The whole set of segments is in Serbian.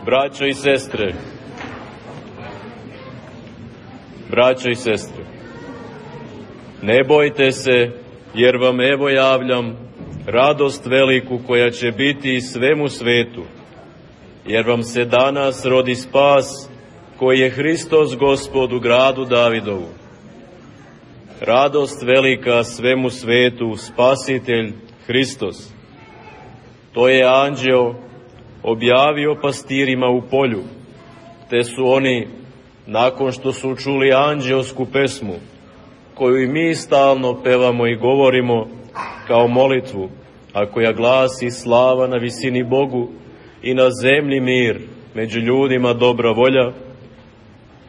Braćo i sestre, ne bojte se, jer vam evo javljam radost veliku koja će biti svemu svetu, jer vam se danas rodi spas koji je Hristos Gospod u gradu Davidovu. Radost velika svemu svetu, Spasitelj Hristos. To je anđeo objavio pastirima u polju, te su oni, nakon što su čuli anđeosku pesmu, koju i mi stalno pevamo i govorimo kao molitvu, a koja glasi slava na visini Bogu i na zemlji mir, među ljudima dobra volja,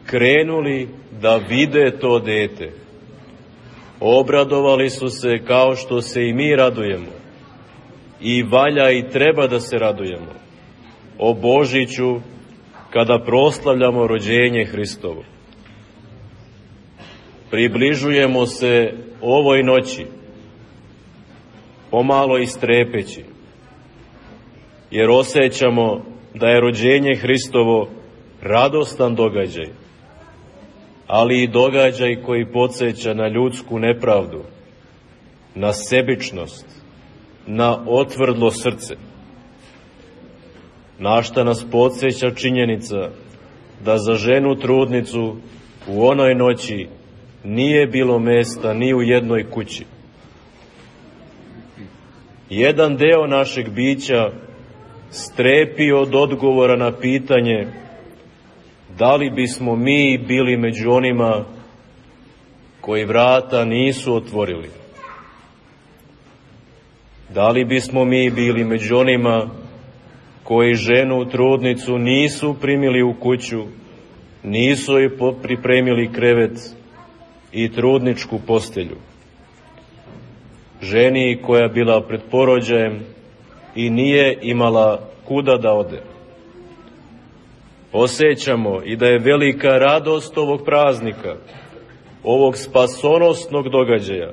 krenuli da vide to dete. Obradovali su se kao što se i mi radujemo. I valja i treba da se radujemo o Božiću kada proslavljamo rođenje Hristovo. Približujemo se ovoj noći, pomalo i strepeći, jer osjećamo da je rođenje Hristovo radostan događaj, ali i događaj koji podsjeća na ljudsku nepravdu, na sebičnost, na otvrdlo srce. Na šta nas podsjeća činjenica da za ženu trudnicu u onoj noći nije bilo mesta ni u jednoj kući. Jedan deo našeg bića strepi od odgovora na pitanje da li bismo mi bili među onima koji vrata nisu otvorili. Da li bismo mi bili među onima koji ženu trudnicu nisu primili u kuću, nisu joj pripremili krevet i trudničku postelju. Ženi koja je bila pred porođajem i nije imala kuda da ode. Osjećamo i da je velika radost ovog praznika, ovog spasonosnog događaja,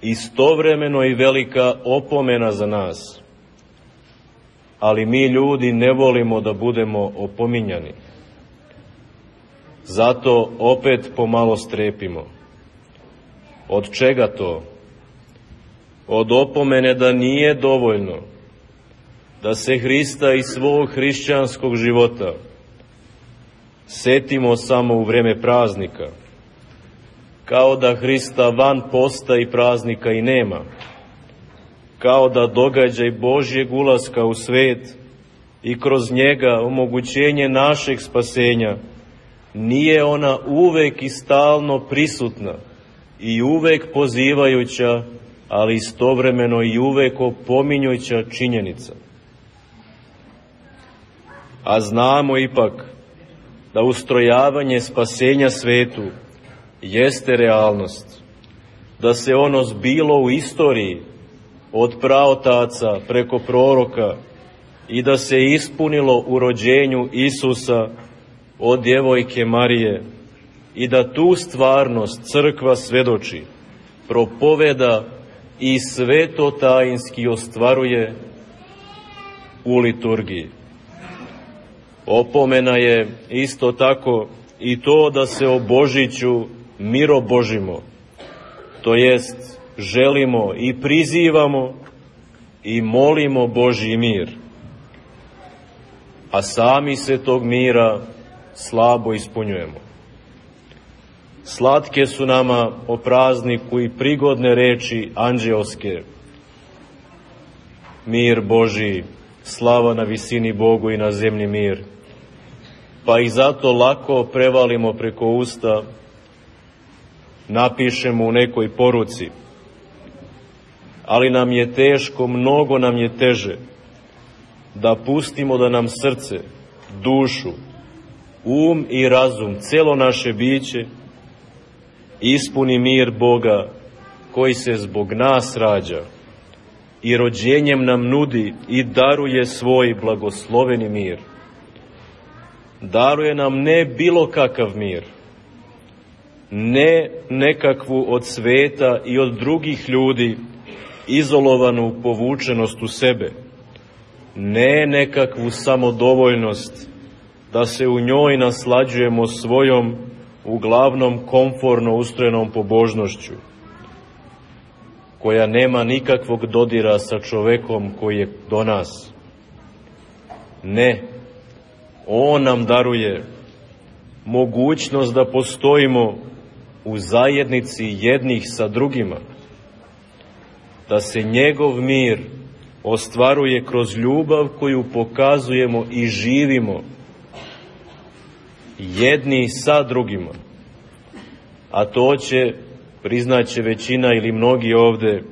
istovremeno i velika opomena za nas. Ali mi ljudi ne volimo da budemo opominjani. Zato opet pomalo strepimo. Od čega to? Od opomene da nije dovoljno da se Hrista i svog hrišćanskog života setimo samo u vreme praznika, kao da Hrista van posta i praznika i nema, kao da događaj Božjeg ulaska u svet i kroz njega omogućenje našeg spasenja nije ona uvek i stalno prisutna i uvek pozivajuća, ali istovremeno i uvek opominjuća činjenica. A znamo ipak da ustrojavanje spasenja svetu jeste realnost, da se ono zbilo u istoriji od praotaca preko proroka i da se ispunilo u rođenju Isusa od djevojke Marije i da tu stvarnost crkva svedoči, propoveda i svetotajinski ostvaruje u liturgiji. Opomena je isto tako i to da se o Božiću mirobožimo, to jest želimo i prizivamo i molimo Božji mir, a sami se tog mira slabo ispunjujemo. Slatke su nama o prazniku i prigodne reči anđeoske. Mir Božji, slava na visini Bogu i na zemlji mir. Pa ih zato lako prevalimo preko usta, napišemo u nekoj poruci. Ali nam je teško, mnogo nam je teže da pustimo da nam srce, dušu, um i razum, celo naše biće ispuni mir Boga koji se zbog nas rađa i rođenjem nam nudi i daruje svoj blagosloveni mir. Daruje nam ne bilo kakav mir, ne nekakvu od sveta i od drugih ljudi izolovanu povučenost u sebe, ne nekakvu samodovoljnost da se u njoj naslađujemo svojom, uglavnom komforno ustrojenom pobožnošću, koja nema nikakvog dodira sa čovekom koji je do nas. Ne, on nam daruje mogućnost da postojimo u zajednici jednih sa drugima, da se njegov mir ostvaruje kroz ljubav koju pokazujemo i živimo jedni sa drugima. A to će, priznaće većina ili mnogi ovde,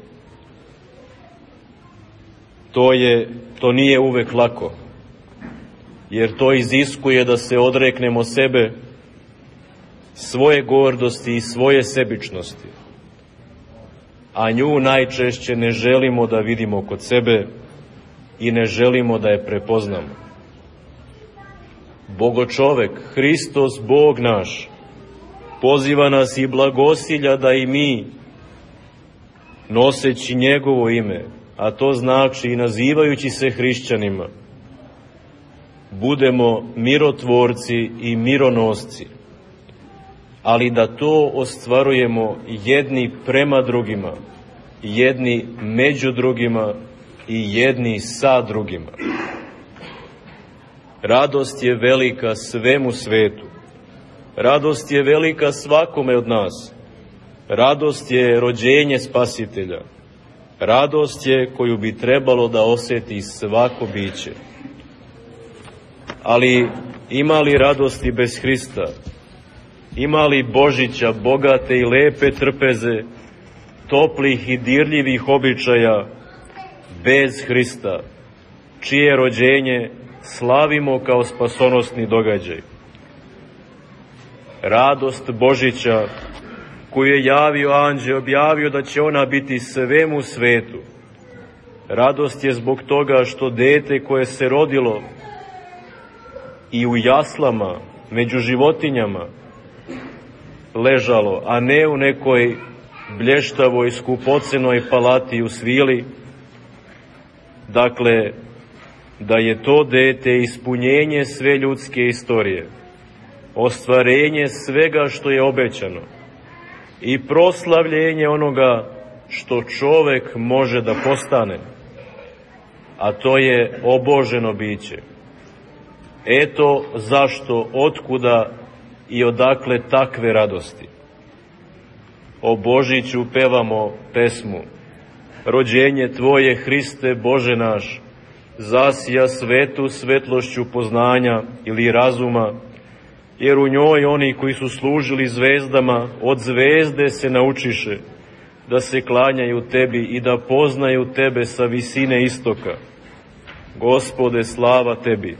to nije uvek lako, jer to iziskuje da se odreknemo sebe, svoje gordosti i svoje sebičnosti, a nju najčešće ne želimo da vidimo kod sebe i ne želimo da je prepoznamo. Bogočovek, Hristos, Bog naš, poziva nas i blagosilja da i mi, noseći njegovo ime, a to znači i nazivajući se hrišćanima, budemo mirotvorci i mironosci, ali da to ostvarujemo jedni prema drugima, jedni među drugima i jedni sa drugima. Radost je velika svemu svetu. Radost je velika svakome od nas. Radost je rođenje Spasitelja. Radost je koju bi trebalo da osjeti svako biće. Ali ima li radosti bez Hrista? Ima li Božića, bogate i lepe trpeze, toplih i dirljivih običaja bez Hrista, čije rođenje slavimo kao spasonosni događaj? Radost Božića koju je javio anđeo, objavio da će ona biti svemu svetu. Radost je zbog toga što dete koje se rodilo i u jaslama, među životinjama, ležalo, a ne u nekoj blještavoj, skupocenoj palati u svili. Dakle, da je to dete ispunjenje sve ljudske istorije, ostvarenje svega što je obećano i proslavljenje onoga što čovek može da postane, a to je oboženo biće. Eto zašto, otkuda i odakle takve radosti. O Božiću pevamo pesmu: rođenje Tvoje, Hriste Bože naš, zasija svetu svetlošću poznanja ili razuma, jer u njoj oni koji su služili zvezdama od zvezde se naučiše da se klanjaju Tebi i da poznaju Tebe sa visine istoka. Gospode, slava Tebi.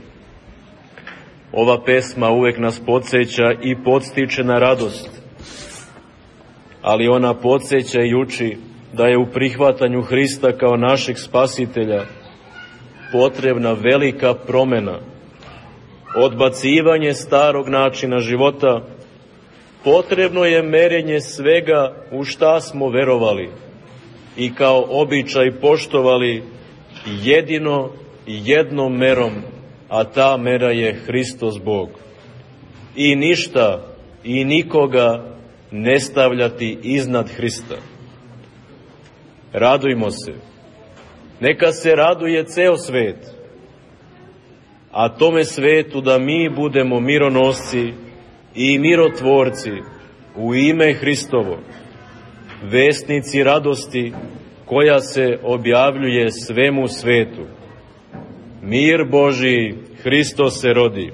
Ova pesma uvek nas podsjeća i podstiče na radost, ali ona podsjeća i uči da je u prihvatanju Hrista kao našeg spasitelja potrebna velika promena, odbacivanje starog načina života, potrebno je merenje svega u šta smo verovali i kao običaj poštovali jedino i jednom merom, a ta mera je Hristos Bog. I ništa i nikoga ne stavljati iznad Hrista. Radujmo se. Neka se raduje ceo svet, a tome svetu da mi budemo mironosci i mirotvorci u ime Hristovo, vesnici radosti koja se objavljuje svemu svetu. Mir Božiji, Hristos se rodi.